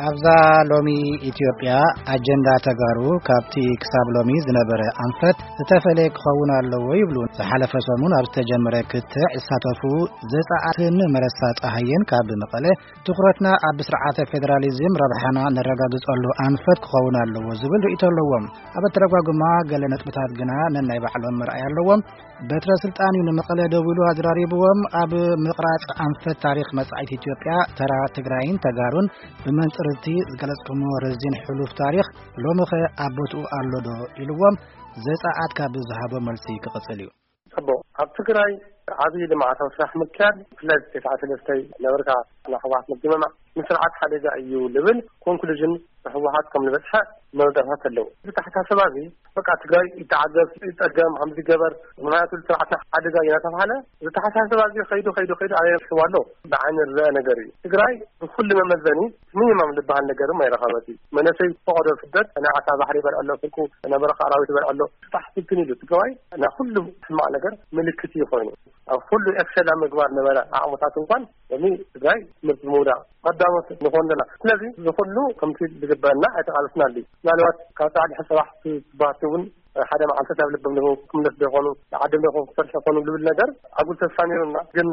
ኣብዛ ሎሚ ኢትዮጵያ ኣጀንዳ ተጋሩ ካብቲ ክሳብ ሎሚ ዝነበረ ኣንፈት ዝተፈለየ ክኸውን ኣለዎ ይብሉ። ዝሓለፈ ሰሙን ኣብ ዝተጀመረ ክትዕ ዝሳተፉ ዘጻኣትን መረሳ ጸሃየን ካብ መቐለ ትኹረትና ኣብ ስርዓተ ፌደራሊዝም ረብሓና ነረጋግጸሉ ኣንፈት ክኸውን ኣለዎ ዝብል ርእይቶ ኣለዎም። ኣብ ኣተረጓጉማ ገለ ነጥብታት ግና ነናይ ባዕሎም መርኣይ ኣለዎም። በትረ ስልጣን እዩ ንመቐለ ደዊሉ ኣዘራሪብዎም። ኣብ ምቕራጽ ኣንፈት ታሪኽ መጻኢት ኢትዮጵያ ተራ ትግራይን ተጋሩን ብመንጽር እቲ ዝገለጽኩሞ ረዚን ሕሉፍ ታሪኽ ሎምኸ ኣብ ቦትኡ ኣሎ ዶ ኢልዎም ዘጻኣት ካብ ዝሃቦ መልሲ ክቕጽል እዩ። ጽቡቕ። ኣብ ትግራይ ዓብዪ ልምዓታዊ ስራሕ ምክያድ፣ ብፍላይ ተስዓተ ሰለስተ ነበርካ፣ ንሕወሓት ምግምማዕ ንስርዓት ሓደጋ እዩ ልብል ኮንክሉዥን ንሕወሓት ከም ዝበጽሐ መረዳእታት ኣለዉ። እዚ ኣተሓሳስባ እዚ በቃ ትግራይ ይተዓገስ፣ ይጸገም፣ ከምዚ ይገበር፣ ምኽንያቱ ስርዓትና ሓደጋ እዩ እናተባህለ፣ እዚ ኣተሓሳስባ እዚ ከይዱ ከይዱ ከይዱ ኣበይ በጺሕዋ ኣሎ? ብዓይኒ ዝረአ ነገር እዩ። ትግራይ ብኩሉ መመዘኒ ሚኒማም ዝበሃል ነገር ድማ ኣይረኸበትን። መንእሰይ ፈቐዶ ስደት፣ ናይ ዓሳ ባሕሪ ይበልዐ ኣሎ፣ ስንቁ ናይ በረኻ ኣራዊት ይበልዐ ኣሎ። ስራሕ ስግን ኢሉ ትግራዋይ ናይ ኩሉ ሕማቕ ነገር ምልክት እዩ ኮይኑ። ኣብ ኩሉ ኤክሰል ኣብ ምግባር ነበረ ዓቕምታት እንኳን ሎሚ ትግራይ ትምህርቲ ምውዳቕ ቀዳሞት ንኾን ኣለና። ስለዚ እዚ ኩሉ ከምቲ ዝግበአና ኣይተቓለስናሉ። ምናልባት ካብ ጻዕዲ ሕሰባሕ ትባህቲ እውን ሓደ መዓልቲ ናብ ልቦም ዶ ክምለስ ዶ ይኾኑ፣ ንዓዶም ዶ ክሰርሑ ይኾኑ ዝብል ነገር ኣጉል ተስፋ ነይሩና። ግን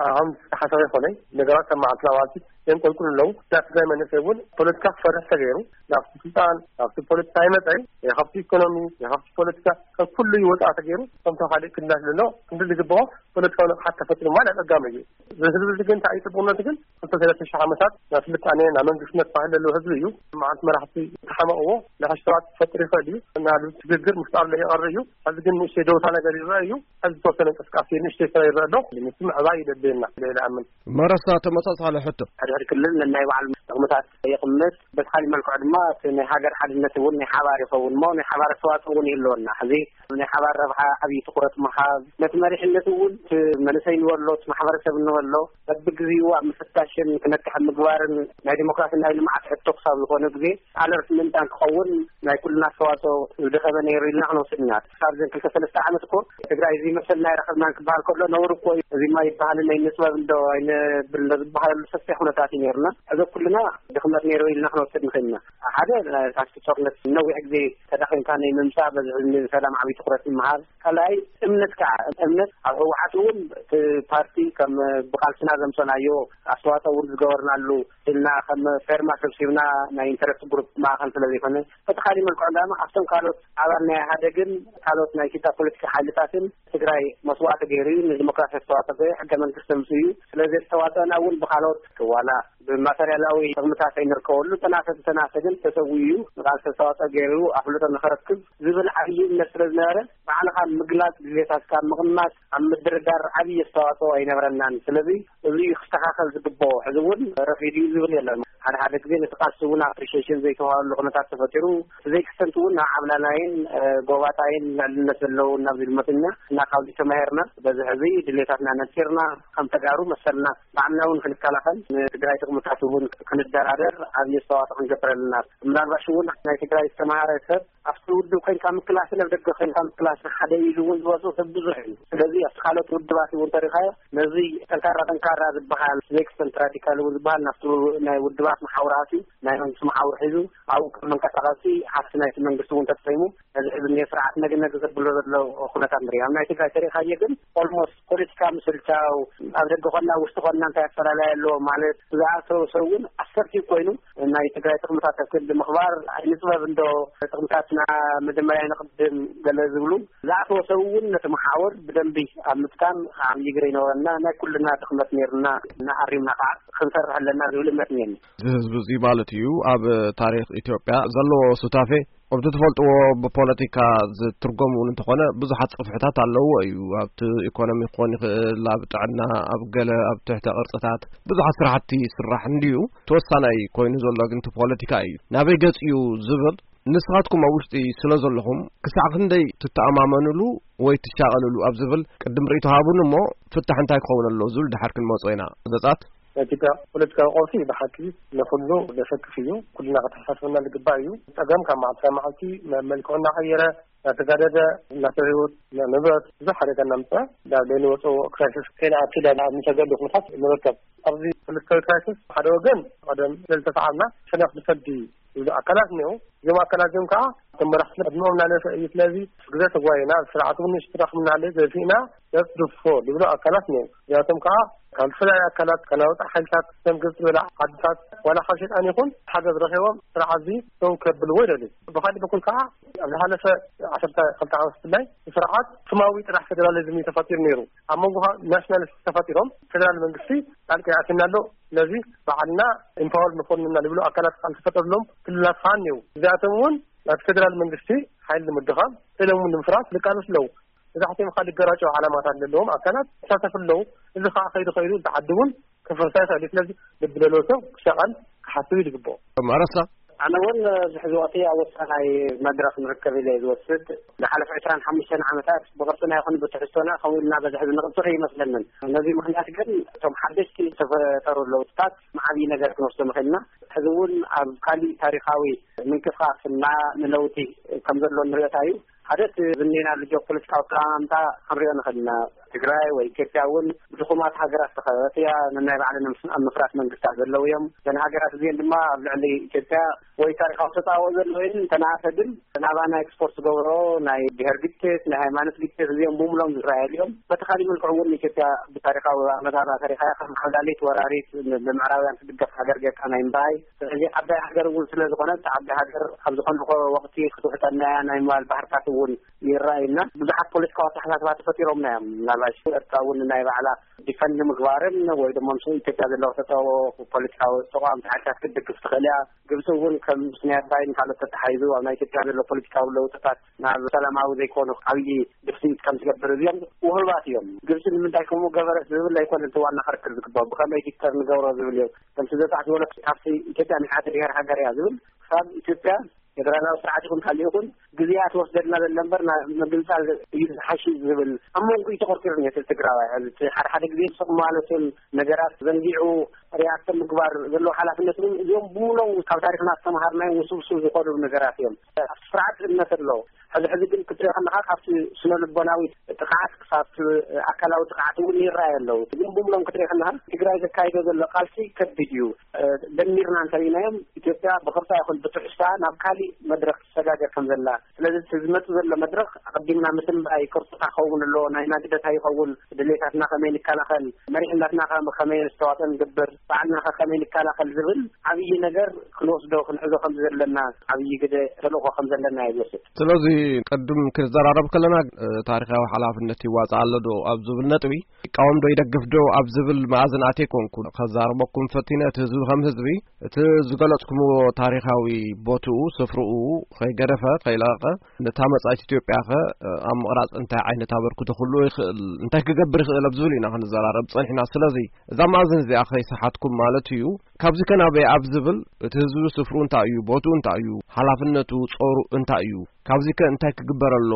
ኣሁን ተሓሳቢ ይኾነ ነገራት ከም መዓልቲ ናብ መዓልቲ የንቆልቁሉ ኣለዉ። ናይ ትግራይ መንእሰይ እውን ፖለቲካ ክፈርሕ ተገይሩ፣ ናብቲ ስልጣን፣ ናብቲ ፖለቲካ ይመፀ፣ ወይ ካብቲ ኢኮኖሚ፣ ወይ ካብቲ ፖለቲካ፣ ካብ ኩሉ ይወፃ ተገይሩ፣ ከምቶ ካልእ ክልላት ዘሎ ክንዲ ዝግብኦ ፖለቲካዊ ንቕሓት ተፈጢሩ ማለት ኣፀጋሚ እዩ። እዚ ህዝቢ እዚ ግን እንታይ እዩ ፅቡቅነቱ ግን ክልተ ሰለስተ ሺሕ ዓመታት ናብ ስልጣነ፣ ናብ መንግስትነት ባህሊ ዘለዎ ህዝቢ እዩ። መዓልቲ መራሕቲ ተሓመቕዎ፣ ንሕሽተዋት ክፈጥር ይኽእል እዩ። ናብ ሽግግር ምፍጣር ይቐር እዩ። ሕዚ ግን ንእሽተይ ደውታ ነገር ይረአ እዩ። ሕዚ ዝተወሰነ እንቅስቃሴ ንእሽተይ ስራ ይረአ ኣሎ። ምስ ምዕባይ ይደልየና ኢለ ይኣምን። መረሳ ተመሳሳሊ ሕቶ። ሕድሕድ ክልል ነናይ ባዕሉ ጥቕምታት የቕምጥ። በቲ ካሊእ መልክዑ ድማ እቲ ናይ ሃገር ሓድነት እውን ናይ ሓባር ይኸውን እሞ ናይ ሓባር ኣስተዋፅኦ እውን ይህልወና። ሕዚ ናይ ሓባር ረብሓ ዓብዪ ትኹረት ምሃብ፣ ነቲ መሪሕነት እውን እቲ መንእሰይ ንበሎ፣ እቲ ማሕበረሰብ ንበሎ፣ በብግዜኡ ኣብ ምፍታሽን ክነቅሕ ምግባርን ናይ ዲሞክራሲ ናይ ልምዓት ሕቶ ክሳብ ዝኾነ ግዜ ኣለርት ምእንታን ክኸውን ናይ ኩልና ኣስተዋፅኦ ዝደኸመ ነይሩ ኢልና ክንወስድ ኢና። ክሳብ ዘን ክልተ ሰለስተ ዓመት እኮ ትግራይ እዚ መሰልና ኣይረኸብናን ክበሃል ከሎ ነውሪ እኮ እዩ። እዚ ማ ይበሃልን ኣይንፅበብ እንዶ ኣይነብል እንዶ ዝበሃለሉ ሰፊሕ ኩነታት እዩ ነይሩና። ሕዚ ኩልና ድኽመት ነይሩ ኢልና ክንወስድ ንኽእል ኢና። ሓደ፣ ካብቲ ጦርነት ነዊሕ ግዜ ተዳኺምካ ናይ ምምፃእ በዚ ሕዚ ሰላም ዓብዪ ትኹረት ምሃብ። ካልኣይ እምነት ከዓ፣ እምነት ኣብ ህወሓት እውን እቲ ፓርቲ ከም ብቃልስና ዘምፀናዮ ኣስተዋፅኦ እውን ዝገበርናሉ ኢልና ከም ፌርማ ሰብሲብና ናይ ኢንተረስት ግሩፕ ማእኸል ስለ ዘይኮነ፣ በቲ ካሊእ መልክዑ ድማ ኣብቶም ካልኦት ኣባል ናይ ኢህኣደግን ካልኦት ናይ ኢትዮጵያ ፖለቲካ ሓይልታትን ትግራይ መስዋእቲ ገይሩ እዩ፣ ንዲሞክራሲ ኣስተዋፅኦ ገይሩ፣ ሕገ መንግስቲ ኣምፅኡ እዩ። ስለዚ ኣስተዋፅኦና እውን ብካልኦት ዋላ ብማተርያላዊ ጥቕምታት ኣይንርከበሉ፣ ተናሰ ተናሰ ግን ተሰዊኡ እዩ፣ ንቃልሲ ኣስተዋፅኦ ገይሩ ኣፍልጦ ንክረክብ ዝብል ዓብዪ እምነት ስለ ዝነበረ፣ ባዕልኻ ምግላፅ፣ ድሌታትካ ምቕማጥ፣ ኣብ ምድርዳር ዓብዪ ኣስተዋፅኦ ኣይነብረናን። ስለዚ እዚ እዩ ክስተኻኸል ዝግብኦ። ሕዚ እውን ረፊዱ እዩ ዝብል የለን። ሓደ ሓደ ግዜ ነቲ ቃልሲ እውን ኣፕሪሺዬሽን ዘይተዋሃበሉ ኩነታት ተፈጢሩ፣ እቲ ዘይክስተንት እውን ናብ ዓብላላይን፣ እ፣ ጎባጣይን ልዕልነት ዘለውን ናብ ዝብል መፂና እና ካብዚ ተማሂርና በዚ ሕዚ ድሌታትና ነፂርና ከም ተጋሩ መሰልና ባዕልና እውን ክንከላኸል ንትግራይ ጥቕምታት እውን ክንደራደር ዓብዪ ኣስተዋፅኦ ክንገብር ኣለና። ምናልባሽ እውን ናይ ትግራይ ዝተምሃረ ሰብ ኣብቲ ውድብ ኮይንካ ምክላስን ኣብ ደገ ኮይንካ ምክላስን ሓደ ኢሉ እውን ዝወፅእ ሰብ ብዙሕ እዩ። ስለዚ ኣብቲ ካልኦት ውድባት እውን ተሪኻዮ ነዚ ጠንካራ ጠንካራ ዝበሃል ዘይክስተንት ራዲካል እውን ዝበሃል ናብቲ ናይ ውድባት መሓውር ኣትዩ ናይ መንግስቲ መሓውር ሒዙ ኣብኡ ከም መንቀሳቐሲ ሃፍቲ ናይቲ መንግስቲ እውን ተጠቂሙ ነዚ ሕዚ እኒኦ ስርዓት ነግ ነግ ዘብሎ ዘሎ ኩነታት ንርኢ። ኣብ ናይ ትግራይ ተሪኻዮ ግን ኦልሞስት ፖለቲካ ምስልቻው ኣብ ደገ ኮና ውሽጢ ኮና እንታይ ኣፈላላይ ኣለዎ ማለት ዝኣተወ ሰብ እውን ኣሰርቲቭ ኮይኑ ናይ ትግራይ ጥቕምታት ኣብ ክንዲ ምኽባር ኣይንፅበብ እንዶ ጥቕምታትና መጀመርያ ይንቕድም ገለ ዝብሉ ዝኣተወ ሰብ እውን ነቲ መሓውር ብደንቢ ኣብ ምጥቃም ዓብዪ ግደ ይነበረና። ናይ ኩልና ድኽመት ነይሩና እና ኣሪምና ከዓ ክንሰርሕ ኣለና ዝብል እምነት እኒአኒ። እዚ ህዝቢ እዚ ማለት እዩ ኣብ ታሪኽ ኢትዮጵያ ዘለዎ ሱታፌ ከምቲ ትፈልጥዎ ብፖለቲካ ዝትርጎም እውን እንተኾነ ብዙሓት ጽፍሕታት ኣለዎ እዩ። ኣብቲ ኢኮኖሚ ክኾን ይኽእል፣ ኣብ ጥዕና፣ ኣብ ገለ ኣብ ትሕተ ቅርጽታት ብዙሓት ስራሕቲ ይስራሕ እንድዩ። ተወሳናይ ኮይኑ ዘሎ ግን እቲ ፖለቲካ እዩ። ናበይ ገጽ እዩ ዝብል ንስኻትኩም ኣብ ውሽጢ ስለ ዘለኹም ክሳዕ ክንደይ ትተኣማመኑሉ ወይ ትሻቐልሉ ኣብ ዝብል ቅድም ርእይቶ ሃቡን እሞ ፍታሕ እንታይ ክኸውን ኣለዎ ዝብል ድሓር ክንመጾ ኢና። ዘጻት ናይ ኢትዮጵያ ፖለቲካዊ ቀውሲ ብሓቂ ንኹሉ ዘሰክፍ እዩ። ኩልና ከተሓሳስበና ዝግባእ እዩ። ጸገም ካብ መዓልቲ ናብ መዓልቲ መ-፣ መልክዑ እናቐየረ፣ እናተጋደደ፣ እናተው ህይወት፣ ንብረት ብዙሕ ሓደጋ እናምፅአ ናብ ዘይንወፅኦ ክራይሲስ ከይንኣቱ ናብ እንተገዱ ኩነታት ንርከብ። ኣብዚ ፖለቲካዊ ክራይሲስ ሓደ ወገን ቀደም ስለዝተሰዓርና ሸነኽ ንፈዲ ዝብሉ ኣካላት እኒው። እዞም ኣካላት እዚኦም ከዓ እቶም መራሕቲ ዕድመኦም እናነሰ እዩ። ስለዚ ግዘ ተጓይና ስርዓት እውን ሽትራኽ ምናለ ዘፊእና ነጥድፎ ዝብሉ ኣካላት እኒው። እዚኣቶም ከዓ ካብ ዝተፈላለዩ ኣካላት ከናውፃ ሓይልታት ከም ግብፂ ዝበላ ዓድታት ዋላ ካብ ሸጣን ይኹን ሓገዝ ረኺቦም ስርዓት እዚ ደው ከብልዎ ይደልዩ። ብካሊእ በኩል ከዓ ኣብ ዝሓለፈ ዓሰርተ ክልተ ዓመት ብፍላይ ስርዓት ስማዊ ጥራሕ ፌደራሊዝም እዩ ተፈጢሩ ነይሩ። ኣብ መንጎ ናሽናሊስት ተፈጢሮም ፌደራል መንግስቲ ጣልቃ ያእትና ኣሎ። ስለዚ ባዕልና ኢምፓወር ንኾንና ዝብሉ ኣካላት ካብ ዝተፈጠሩሎም ክልላት ከዓ እኒው። እዚኣቶም እውን ናብ ፌደራል መንግስቲ ሓይል ንምድኻም፣ ስእሎም እውን ንምፍራስ ዝቃለሱ ኣለዉ። መብዛሕትኦም ከዓ ልገራጨው ዓላማታት ዘለዎም ኣካላት ይሳተፉ ኣለዉ። እዚ ከዓ ከይዱ ከይዱ እቲ ዓዲ እውን ክፍርሳ ይኽእል እዩ። ስለዚ ልቢ ዘለዎ ሰብ ክሻቐል ክሓስብ እዩ ዝግብኦ። መረሳ ኣነ እውን ኣብዚ ሕዚ ወቅቲ ኣብ ወሳናይ መድረኽ ንርከብ ኢለ እየ ዝወስድ። ዝሓለፈ ዕስራን ሓሙሽተን ዓመታት ብቅርፅና ይኹን ብትሕዝቶና ከምኡ ኢልና በዚ ሕዚ ንቅፅር ይመስለንን። ነዚ ምክንያት ግን እቶም ሓደሽቲ ዝተፈጠሩ ለውጥታት ዓብዪ ነገር ክንወስዶ ምኽእልና። ሕዚ እውን ኣብ ካሊእ ታሪኻዊ ምንቅስቃስና ንለውጢ ከም ዘሎ ንሪኦታ እዩ። ሓደ እቲ ዝኔናሉ ጂኦፖለቲካዊ ኣቀማምጣ ክንሪኦ ንኽእል ኢና። ትግራይ ወይ ኢትዮጵያ እውን ብድኹማት ሃገራት ዝተኸበበት እያ። ነናይ ባዕለን ኣብ ምፍራስ መንግስታት ዘለዉ እዮም። እዘን ሃገራት እዚአን ድማ ኣብ ልዕሊ ኢትዮጵያ ወይ ታሪኻዊ ተፃብኦ ዘለዎ እየን። እንተነኣሰ ግን ናባና ኤክስፖርት ዝገብሮ ናይ ብሄር ግጭት፣ ናይ ሃይማኖት ግጭት እዚኦም ብምሎም ዝረኣየሉ እዮም። በቲ ካሊእ መልክዑ እውን ኢትዮጵያ ብታሪኻዊ ኣመጣጣ ታሪኻያ ከም ዓብላሊት ወራሪት ን-፣ ብምዕራባውያን ትድገፍ ሃገር ጌርካ ናይ ምርኣይ። ስለዚ ዓባይ ሃገር እውን ስለ ዝኾነት ዓባይ ሃገር ኣብ ዝኾነ ወቅቲ ክትውሕጠና እያ ናይ ምባል ባህርታት እውን ይረኣዩና። ብዙሓት ፖለቲካዊ ኣተሓሳስባ ተፈጢሮምና እዮም። ምናልባሽ ኤርትራ እውን ናይ ባዕላ ዲፈንድ ምግባርን ወይ ድማ ምስ ኢትዮጵያ ዘለዎ ተጠዎ ፖለቲካዊ ተቋም ሓይልታት ክትድግፍ ትኽእል እያ። ግብፂ እውን ከም ስኒ ኣባይን ካልኦት ተተሓሒዙ ኣብ ናይ ኢትዮጵያ ዘሎ ፖለቲካዊ ለውጥታት ናብ ሰላማዊ ዘይኮኑ ዓብዪ ድፍኢት ከም ዝገብር እዚኦም ውህባት እዮም። ግብፂ ንምንታይ ከምኡ ገበረት ዝብል ኣይኮነ እቲ ዋና ክርክር ዝግባእ፣ ብኸመይ ዲክተር ንገብሮ ዝብል እዮም። ከምቲ ዘጻዕ ዝበሎ ካብቲ ኢትዮጵያ ናይ ሓደ ብሔር ሃገር እያ ዝብል ክሳብ ኢትዮጵያ ፌደራላዊ ስርዓት ይኹን ካልእ ይኹን ግዜኣ ትወስደልና ዘለ እምበር ና-፣ ምግንጻል እዩ ዝሓሽ ዝብል ኣብ መንጎ እዩ ተኾርኪሩ ነቲ ትግራዋይ። ሕዚ እቲ ሓደ ሓደ ግዜ ስቕ ማለትን ነገራት ዘንጊዑ ሪኣክት ምግባር ዘለዎ ሓላፍነት እውን እዚኦም ብሙሎም ካብ ታሪኽና ዝተምሃርናዮም ውስብስብ ዝኾኑ ነገራት እዮም። ኣብቲ ስርዓት እምነት ኣሎ። ሕዚ ሕዚ ግን ክትሪኦ ከለኻ ካብቲ ስነ ልቦናዊ ጥቕዓት ክሳብ ኣካላዊ ጥቕዓት እውን ይረኣዩ ኣለዉ። ግን ብሙሎም ክትሪኦ ከለኻ ትግራይ ዘካይዶ ዘሎ ቃልሲ ከቢድ እዩ። ደሚርና እንተሪእናዮም ኢትዮጵያ ብቕርጻ ይኹን ብትሕዝቶኣ ናብ ካሊእ መድረኽ ትሰጋገር ከም ዘላ። ስለዚ እቲ ዝመጽእ ዘሎ መድረኽ ኣቐዲምና ምትንባይ፣ ቅርጽታ ክኸውን ኣለዎ፣ ናይ ናግደታ ይኸውን፣ ድሌታትና ከመይ ንከላኸል፣ መሪሕነትና ከ-፣ ከመይ ነስተዋጽኦ ንገብር፣ ባዕልና ከ ከመይ ንከላኸል ዝብል ዓብዪ ነገር ክንወስዶ ክንሕዞ ከም ዘለና ዓብዪ ግደ ተልእኾ ከም ዘለና እየ ዝወስድ። ስለዚ ቅድም ክንዘራረብ ከለና፣ እ፣ ታሪኻዊ ሓላፍነት ይዋጻእ ኣሎ ዶ ኣብ ዝብል ነጥቢ፣ ይቃወም ዶ ይደግፍ ዶ ኣብ ዝብል መኣዝን ኣትየ ኮንኩ ከዛርበኩም ፈቲነ፣ እቲ ህዝቢ ከም ህዝቢ እቲ ዝገለጽኩምዎ ታሪኻዊ ቦትኡ፣ ስፍርኡ ከይገደፈ፣ ከይለቐቐ፣ ነታ መጻኢት ኢትዮጵያ ከ ኣብ ምቕራጽ እንታይ ዓይነት ኣበርክቶ ክህልዎ ይኽእል፣ እንታይ ክገብር ይኽእል ኣብ ዝብል ኢና ክንዘራረብ ጸኒሕና። ስለዚ እዛ መኣዝን እዚኣ ከይሰሓትኩም ማለት እዩ። ካብዚ ከ ናበይ ኣብ ዝብል፣ እቲ ህዝቢ ስፍርኡ እንታይ እዩ፣ ቦትኡ እንታይ እዩ፣ ሓላፍነቱ፣ ጾሩ እንታይ እዩ፣ ካብዚ ከ እንታይ ክግበር ኣሎ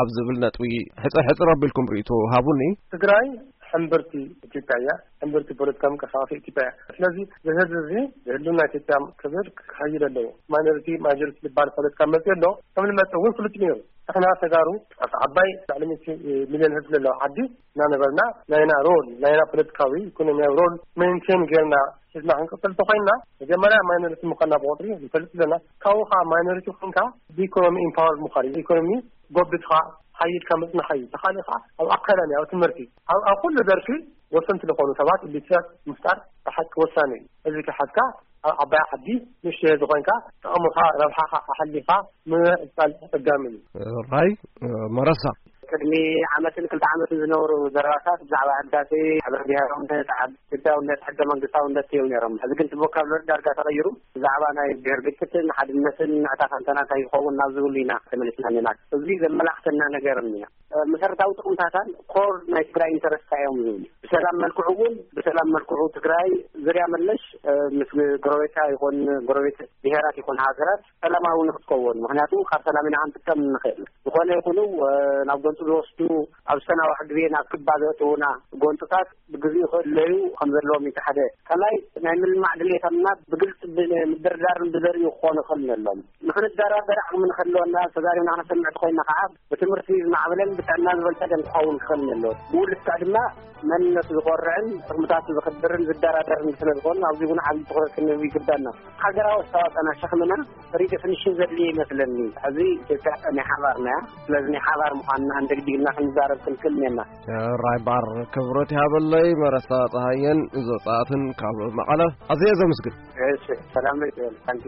ኣብ ዝብል ነጥቢ ሕጽር ሕጽር ኣቢልኩም ርእይቶ ሃቡኒ። ትግራይ ሕምብርቲ ኢትዮጵያ እያ። ሕምብርቲ ፖለቲካዊ ምንቅስቃስ ኢትዮጵያ እያ። ስለዚ እዚ ህዝቢ እዚ ብህልውና ኢትዮጵያ ክብል ክኸይድ ኣለዎ። ማይኖሪቲ ማጆሪቲ ዝበሃል ፖለቲካ መፅኡ ኣሎ። ከም ዝመፅእ እውን ፍሉጥ እዩ ነይሩ። ንሕና ተጋሩ ኣብ ዓባይ ልዕሊ ሚእቲ ሚልዮን ህዝቢ ዘለዎ ዓዲ እናነበርና ናይና ሮል፣ ናይና ፖለቲካዊ ኢኮኖሚያዊ ሮል ሜንቴን ጌርና ሒዝና ክንቅፅል እንተኮይንና መጀመርያ ማይኖሪቲ ምዃንና ብቁፅሪ ንፈልጥ ኣለና። ካብኡ ከዓ ማይኖሪቲ ኮይንካ ብኢኮኖሚ ኢምፓወር ምዃን እዩ። ኢኮኖሚ ጎቢትኻ ሓይልካ ምፅናሕ እዩ። ተኻሊእኻ ኣብ ኣካዳሚ፣ ኣብ ትምህርቲ፣ ኣብ፣ ኣብ ኩሉ ዘርፊ ወሰንቲ ዝኾኑ ሰባት ኢሊትራት ምፍጣር ብሓቂ ወሳኒ እዩ። እዚ ከሓዝካ ኣብ ዓባይ ዓዲ ንእሽተይ ዝኾንካ ጥቕምኻ ረብሓኻ ኣሕሊኻ ምዕቃል ኣጸጋሚ እዩ። ራይ መረሳ። ቅድሚ ዓመትን ክልተ ዓመትን ዝነበሩ ዘረባታት ብዛዕባ ህዳሴ፣ ሕብረ ብሔራውነት፣ ዓድ-፣ ኢትዮጵያውነት፣ ሕገ መንግስታውነት እዮም ነይሮም። ሕዚ ግን እቲ ቮካብለሪ ዳርጋ ተቐይሩ። ብዛዕባ ናይ ብሔር ግጭትን ሓድነትን ንዕታ ፈንታና እንታይ ይኸውን ናብ ዝብሉ ኢና ተመሊስና ኣለና። እዚ ዘመላኽተና ነገር እኒኣ። መሰረታዊ ጥቕምታታን ኮር ናይ ትግራይ ኢንተረስት እዮም ዝብሉ። ሰላም መልክዑ እውን ብሰላም መልክዑ ትግራይ ዝርያ መለሽ ምስ ጎረቤታ ይኹን ጎረቤት ብሄራት ይኹን ሃገራት ሰላማዊ ንክትከውን፣ ምክንያቱ ካብ ሰላም ኢና ክንጥቀም ንኽእል። ዝኾነ ይኹኑ ናብ ጎንፂ ዝወስዱ፣ ኣብ ሰናዋሕ ግዜ ናብ ክባ ዘእትውና ጎንፅታት ብግዜኡ ክእለዩ ከም ዘለዎም እዩ ሓደ። ካልኣይ ናይ ምልማዕ ድሌታትና ብግልፂ ብምድርዳርን ብዘርእዩ ክኾኑ ክእል ነሎም። ንክንደራደር ዓቕሚ ንክህልወና፣ ተዛሪብና ክነሰምዕ ተኮይና ከዓ ብትምህርቲ ዝማዕበለን ብጥዕና ዝበልፀገን ክኸውን ክኽእል ኣለዎ። ብኡ ልክዕ ድማ መንነቱ ዝኮርዕን ጥቕምታቱ ዝኽብርን ዝደራደርን ስለ ዝኾኑ ኣብዚ እውን ዓብዪ ትኹረት ክንህብ ይግባና። ሃገራዊ ኣስተዋፅኦና ሸኽምና ሪደፊኒሽን ዘድልዮ ይመስለኒ። ሕዚ ኢትዮጵያ ናይ ሓባርና እያ። ስለዚ ናይ ሓባር ምዃንና እንደግዲግና ክንዛረብ ክንክእል እኒአና። ራይ ባር ክብረት ይሃበለይ። መረሳ ፀሃየን ዘውፃኣትን ካብ መቐለ ኣዝየ ዘመስግን። እሺ፣ ሰላም ለይትበል። ታንኪ።